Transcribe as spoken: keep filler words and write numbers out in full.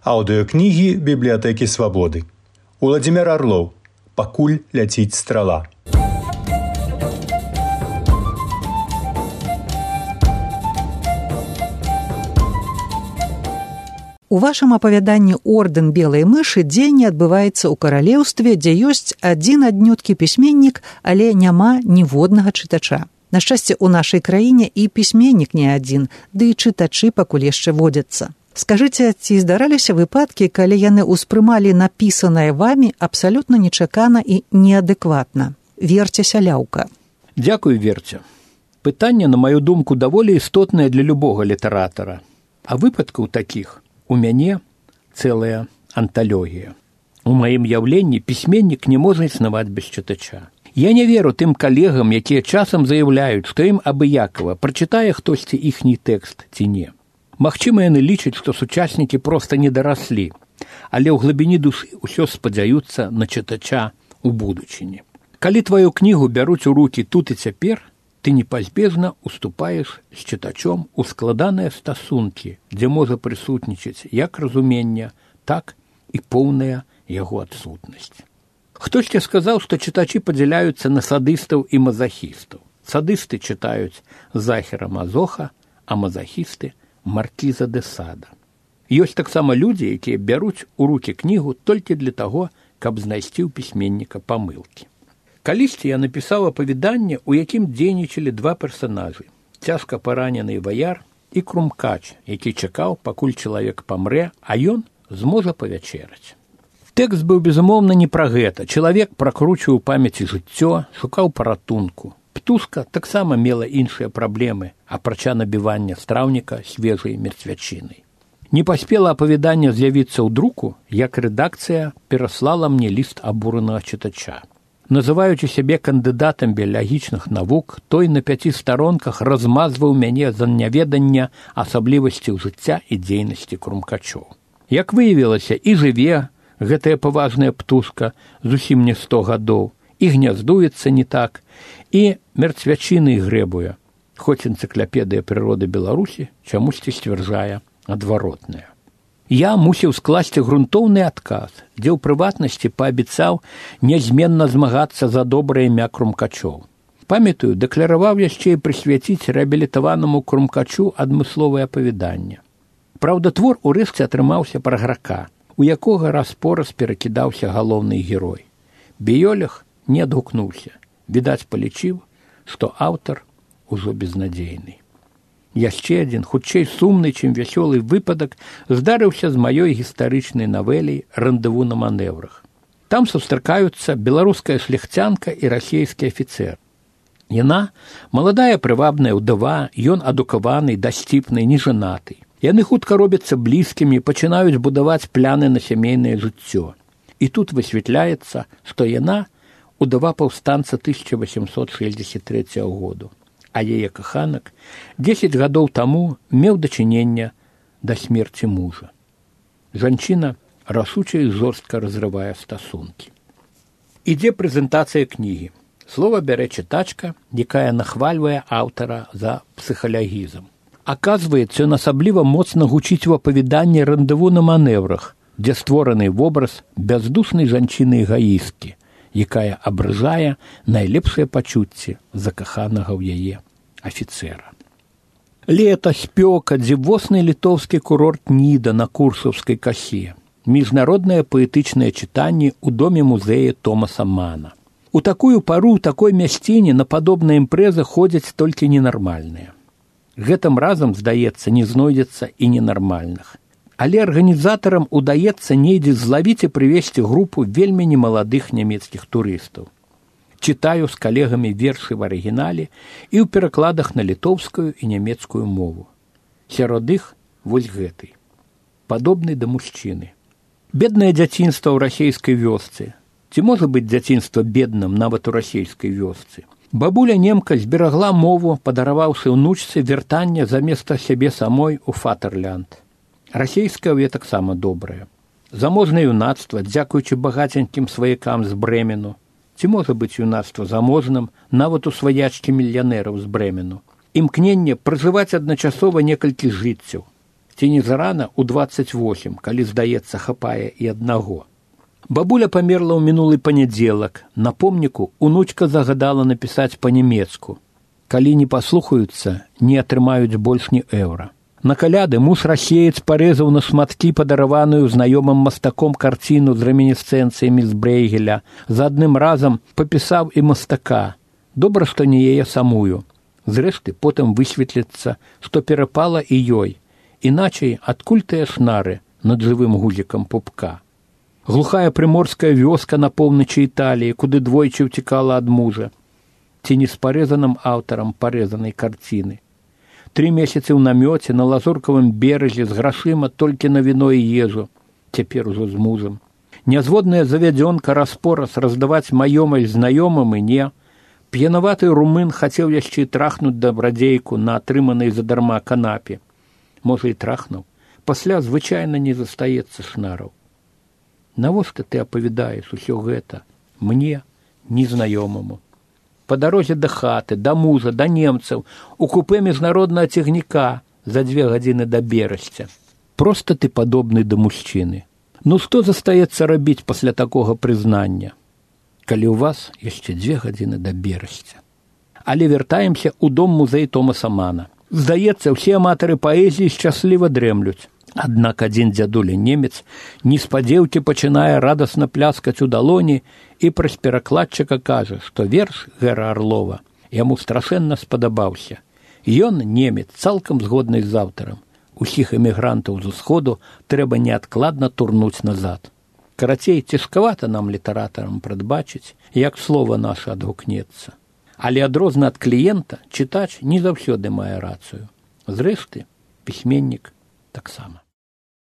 Аўдыёкнігі бібліятэкі Свабоды. Уладзімір Арлоў. Пакуль ляціць страла. У вашым апавяданні «Ордэн белай мышы» дзеянне адбываецца ў каралеўстве, дзе ёсць адзін аднюткі пісьменнік, але няма ніводнага чытача. На шчасце, у нашай краіне і пісьменнік не адзін, ды і чытачы пакуль яшчэ водзяцца. Скажыце, ці здараліся выпадкі, калі яны ўспрымалі напісанае вамі абсалютна нечакана і неадэкватна? Верце Сяляўка. Дзякуй, Верце. Пытанне, на маю думку, даволі істотнае для любога літаратара. А выпадкаў такіх у мяне цэлая анталогія. У маім яўленні пісьменнік не можа існаваць без чытача. Я не веру тым калегам, якія часам заяўляюць, што ім абыякава, прачытае хтосьці іхні тэкст ці не. Магчыма, яны лічаць, што сучаснікі проста не дараслі, але ў глыбіні душы ўсё спадзяюцца на чытача ў будучыні. Калі тваю кнігу бяруць у рукі тут і цяпер, ты непазбежна уступаеш з чытачом у складаныя стасункі, дзе можа прысутнічаць як разуменне, так і поўная яго адсутнасць. Хтосьці сказаў, што чытачы падзяляюцца на садыстаў і мазахістаў. Садысты чытаюць Захера Мазоха, а мазахісты Маркіза де Сада. Ёсць таксама людзі, якія бяруць у рукі кнігу толькі для таго, каб знайсці ў пісьменніка памылкі. Калісьці я напісаў апавяданне, у якім дзейнічалі два персанажы – цяжка паранены ваяр і крумкач, які чакаў, пакуль чалавек памрэ, а ён зможа павячэраць. Тэкст быў, безумоўна, не пра гэта. Чалавек пракручваў у памяці жыццё, шукаў паратунку. Птушка таксама мела іншыя праблемы, апрача набівання страўніка свежай мерцвячынай. Не паспела апавяданне з'явіцца ў друку, як рэдакцыя пераслала мне ліст абуранага чытача. Называючы сябе кандыдатам біялагічных навук, той на пяці старонках размазваў мяне за няведання асаблівасцяў жыцця і дзейнасці крумкачоў. Як выявілася, і жыве гэтая паважная птушка зусім не сто гадоў, і гняздуецца не так, і мерцвячыны грэбуе, хоць энцыклапедыя прыроды Беларусі чамусьці сцвярджае адваротнае. Я мусіў скласці грунтоўны адказ, дзе ў прыватнасці паабяцаў нязменна змагацца за добрае імя крумкачоў. Памятаю, дэклараваў яшчэ і прысвяціць рэабілітаванаму крумкачу адмысловае апавяданне. Праўда, твор урэшце атрымаўся пра грака, у якога раз-пораз перакідаўся галоўны герой. Біёлаг не адгукнуўся. Відаць, палічыў, што аўтар ужо безнадзейны. Яшчэ адзін, хутчэй сумны, чым вясёлы выпадак, здарыўся з маёй гістарычнай навелай «Рандеву на маневрах». Там сустракаюцца беларуская шляхцянка і расійскі афіцэр. Яна маладая прывабная ўдава, ён адукаваны, дасціпны, нежанаты. Яны хутка робяцца блізкімі, пачынаюць будаваць пляны на сямейнае жыццё. І тут высвятляецца, што яна удава паўстанца тысяча васемсот шэсцьдзесят трэцяга году, а яе каханак дзесяць гадоў таму меў дачынення да смерці мужа. Жанчына рашуча і жорстка разрывае стасункі. Ідзе прэзентацыя кнігі. Слова бярэ чытачка, якая нахвальвае аўтара за псіхалагізм. Аказваецца, ён асабліва моцна гучыць у апавяданні «Рандеву на маневрах», дзе створаны вобраз бяздушнай жанчыны-эгоісткі, якая абражае найлепшыя пачуцці закаханага ў яе афіцэра. Лета, спёка, дзівосны літоўскі курорт Ніда на Курсаўскай касе, міжнароднае паэтычнае чытанне ў доме музея Томаса Мана. У такую пару, у такой мясціне на падобныя імпрэзы ходзяць толькі ненармальныя. Гэтым разам, здаецца, не знойдзецца і ненармальных. Але арганізатарам удаецца недзе злавіць і прывесці групу вельмі немаладых нямецкіх турыстаў. Чытаю з калегамі вершы в арыгінале і ў перакладах на літоўскую і нямецкую мову. Сярод іх вось гэты. Падобны да мужчыны. Беднае дзяцінства ў расейскай вёсцы. Ці можа быць дзяцінства бедным нават у расейскай вёсцы? Бабуля немка зберагла мову, падараваўшы ўнучцы вяртанне заместа сябе самой у Фатэрлянд. Расейская ўе таксама добрая. Заможнае юнацтва, дзякуючы багаценькім сваякам з Брэмену. Ці можа быць юнацтва заможным нават у сваячкі мільянераў з Брэмену. Імкненне пражываць адначасова некалькі жыццяў. Ці Ці не зарана ў дваццаць восем, калі, здаецца, хапае і аднаго. Бабуля памерла ў мінулы панядзелак. На помніку унучка загадала напісаць па-нямецку. Калі не паслухаюцца, не атрымаюць больш ні эўра. На каляды муж-расеец парэзаў на шматкі падараваную знаёмым мастаком карціну з ремінісцэнцыямі з Брэйгеля. За адным разам папісаў і мастака. Добра, што не яе самую. Зрэшты, потым высветліцца, што перапала і ёй. Іначай адкуль тыя шнары над жывым гузікам пупка. Глухая прыморская вёска на поўначы Італіі, куды двойчы ўцікала ад мужа. Ці не з парэзаным аўтарам парэзанай карціны. Тры месяцы ў намёце на лазуркавым беразе з грашыма толькі на віно і ежу, цяпер ужо з мужам. Нязводная завядзёнка распораз раздаваць маёмасць знаёмым і не. П'янаваты румын хацеў яшчэ трахнуць дабрадзейку на атрыманай задарма канапе. Можа, і трахнуў. Пасля звычайна не застаецца шнараў. Навошта ты апавядаеш усё гэта мне, незнаёмаму? Па дарозе да хаты, да мужа, да немцаў, у купе міжнароднага цягніка за дзве гадзіны да Берасця. Проста ты падобны да мужчыны. Ну што застаецца рабіць пасля такога прызнання, калі ў вас яшчэ дзве гадзіны да Берасця? Але вяртаемся ў дом музей Томаса Мана. Здаецца, усе аматары паэзіі шчасліва дрэмлюць. Аднак адзін дзядуля немец неспадзеўкі пачынае радасна пляскаць у далоні і праз перакладчыка кажа, што верш Гэра Арлова яму страшэнна спадабаўся. Ён, немец, цалкам згодны з аўтарам. Усіх эмігрантаў з усходу трэба неадкладна турнуць назад. Карацей, цяжкавата нам, літаратарам, прадбачыць, як слова наша адгукнецца. Але адрозна ад кліента чытач не заўсёды мае рацыю. Зрэшты, пісьменнік таксама.